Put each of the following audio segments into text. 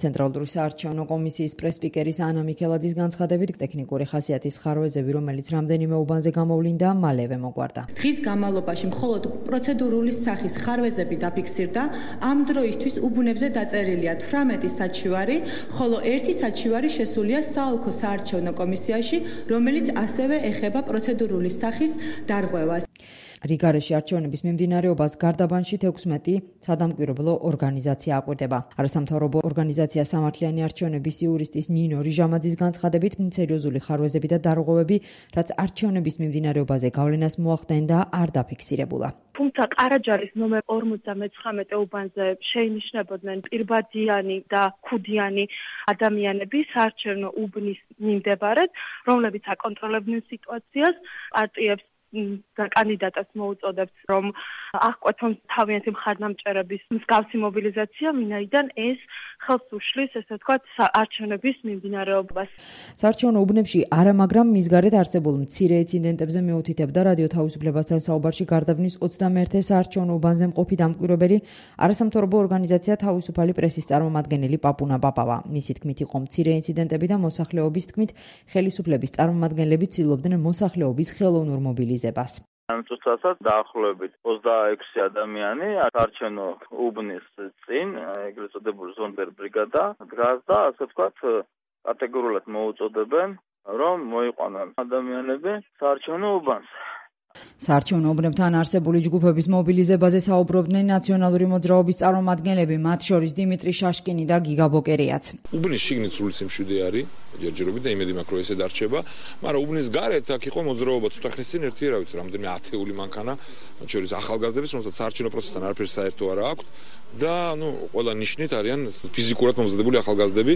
ცენტრალური საარჩევნო კომისიის პრეს-სპიკერის ანა მიქელაძის განცხადებით, ტექნიკური ხასიათის ხარვეზები, რომელიც რამდენიმე უბანზე გამოვლინდა, მალევე მოგვარდა. დღის განმავლობაში მხოლოდ პროცედურული სახის ხარვეზები დაფიქსირდა. ამ დროისთვის უბნებზე დაწერილია 18 საჩივარი, ხოლო ერთი საჩივარი შესულია საოლქო საარჩევნო კომისიაში, რომელიც ასევე ეხება პროცედურული სახის დარღვევას. რიგარეში არჩევნების მიმდინარეობას გარდაბანში 16 სადამკვირვებლო ორგანიზაცია აკვირდება. არასამთავრობო ორგანიზაცია სამართლიანი არჩევნების იურისტის ნინო რიჟამაძის განცხადებით, სერიოზული ხარვეზები და დარღვევები, რაც არჩევნების მიმდინარეობაზე გავლენას მოახდენდა, არ დაფიქსირებულა. თუმცა ყარაჯარის ნომერ 59 უბანზე შეინიშნებოდნენ პირბადიანი და ქუდიანი ადამიანები საარჩევნო უბნის მიმდებარედ, რომლებიც აკონტროლებდნენ სიტუაციას, პარტიებს და კანდიდატებს მოუწოდებთ, რომ აღკვეთონ თავიანთი მხარდამჭერების მსგავსი მობილიზაცია, ვინაიდან ეს ხელს უშლის, ესე ვთქვათ, არჩევნების მიმდინარეობას. საარჩევნო უბნებში არა, მაგრამ მის გარეთ არსებულ მცირე ინციდენტებზე მიუთითებდა რადიო თავისუფლებასთან საუბარში გარდაბნის 21 საარჩევნო უბანზე მყოფი დამკვირვებელი, არასამთავრობო ორგანიზაცია თავისუფალი პრესის წარმომადგენელი პაპუნა პაპავა. მისი თქმით, იყო მცირე ინციდენტები და მოსახლეობის თქმით, ხელისუფლების წარმომადგენლები ცდილობდნენ მოსახლეობის ხელოვნურ მობილიზაციას. ამ წუთასაც დაახლოებით 26 ადამიანი საარჩევნო უბნის წინ, ეგრეთ წოდებული ზონდერ ბრიგადა დგას და ასე ვთქვათ, კატეგორიულად მოუწოდებენ, რომ მოიყვანონ ადამიანები საარჩევნო უბანს. საარჩევნო უბნებთან არსებული ჯგუფების მობილიზებაზე საუბრობდნენ ნაციონალური მოძრაობის წარმომადგენლები, მათ შორის დიმიტრი შაშკინი და გიგა ბოკერიაც. უბნის შიგნით სრული სიმშვიდე არის, ჯერჯერობით და იმედი მაქვს, რომ ესე დარჩება, მაგრამ უბნის გარეთ აქ იყო მოძრაობა ცოტა ხნის წინ ერთი რა ვიცი, რამდენიმე ათეული მანქანა, მათ შორის ახალგაზრდების, რომელსაც საარჩევნო პროცესთან არაფერი საერთო არ აქვს და ყველა ნიშნით არიან ფიზიკურად მომზადებული ახალგაზრდები.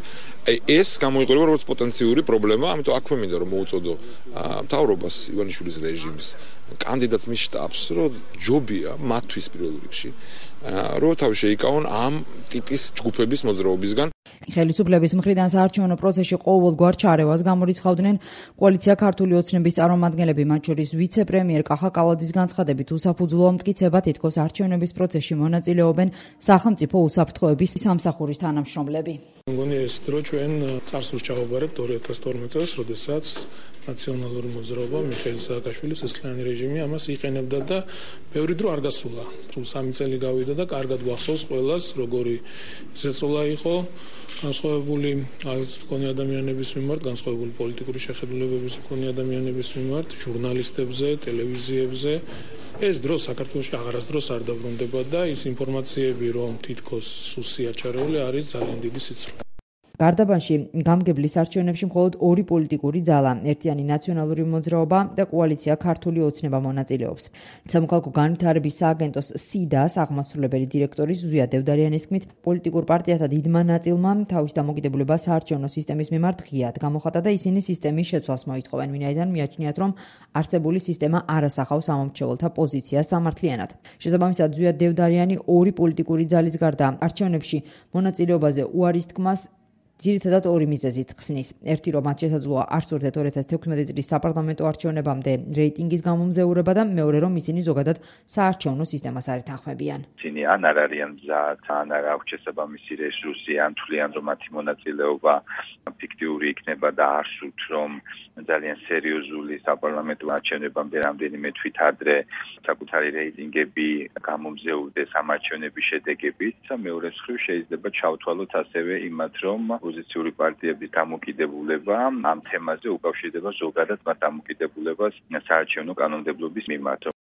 ეს გამოიყურება როგორც პოტენციური პრობლემა, ამიტომ აქვე მინდა რომ მოუწოდო მთავრობას, ივანიშვილის რეჟიმს, კანდიდატს მის შტაბს, რომ ჯობია მათთვის პირველ რიგში, რომ თავი შეიკავონ ამ ტიპის ჯგუფების მოძრაობისგან. ხელისუფლების მხრიდან საარჩევნო პროცესში ყოველგვარ ჩარევას გამორიცხავდნენ კოალიცია ქართული ოცნების წარმომადგენლები, მათ შორის ვიცე-პრემიერ კახა კალაძის განცხადებით, უსაფუძვლოა მტკიცება, თითქოს არჩევნების პროცესში მონაწილეობენ სახელმწიფო უსაფრთხოების სამსახურის თანამშრომლები. მგონი ეს დრო ჩვენ წარსულს ჩავაბარებთ 2012 წელს, როდესაც ნაციონალური მოძრაობა მიხეილ სააკაშვილის ესლიანი რეჟიმი ამას იყენებდა და ბევრი დრო არ გასულა. სულ 3 წელი გავიდა და კარგად გვახსოვს ყველას, როგორი ზეწოლა იყო განსხვავებული მქონე ადამიანების მიმართ, განსხვავებული პოლიტიკური შეხედულებების მქონე ადამიანების მიმართ, ჟურნალისტებზე, ტელევიზიებზე. ეს დრო საქართველოში აღარასდროს არ დაბრუნდება და ის ინფორმაციები, რომ თითქოს სუსია ჩარეული არის ძალიან დიდი სიცრუე. გარდაბანში გამგებლის არჩევნებში მხოლოდ ორი პოლიტიკური ძალა, ერთიანი ნაციონალური მოძრაობა და კოალიცია ქართული ოცნება მონაწილეობს. სამოქალაქო განვითარების სააგენტოს სიდას აღმასრულებელი დირექტორის ზვია დევდარიანის თქმით, პოლიტიკურ პარტიათა დიდმა ნაწილმა თავის დამოკიდებულება საარჩევნო სისტემის მიმართ ღიად გამოხატა და ისინი სისტემის შეცვლას მოითხოვენ, ვინაიდან მიაჩნიათ, რომ არსებული სისტემა არ ასახავს ამომრჩეველთა პოზიციას სამართლიანად. შესაბამისად, ზვია დევდარიანი ორი პოლიტიკური ძალის გარდა არჩევნებში მონაწილეობაზე უარის თქმას ძირითადად ორი მიზეზით ხსნის. ერთი, რომ მათ შესაძლოა არ სურდეთ 2016 წლის საპარლამენტო არჩევნებამდე რეიტინგის გამომზეურება და მეორე, რომ ისინი ზოგადად საარჩევნო სისტემას არ ეთანხმებიან. ისინი ან არ არიან მზად, ან არ აქვს შესაბამისი რესურსი, ან თვლიან, რომ მათი მონაწილეობა ფიქტიური იქნება და არ სურთ, რომ ძალიან სერიოზული საპარლამენტო არჩევნებამდე რამდენიმე თვით ადრე საკუთარი რეიტინგები გამომზეურდეს ამ არჩევნების შედეგებით და მეორე მხრივ შეიძლება ჩავთვალოთ ასევე იმათ, რომ ოპოზიციური პარტიების დამოკიდებულება ამ თემაზე უკავშირდება ზოგადად მათ დამოკიდებულებას საარჩევნო კანონმდებლობის მიმართ.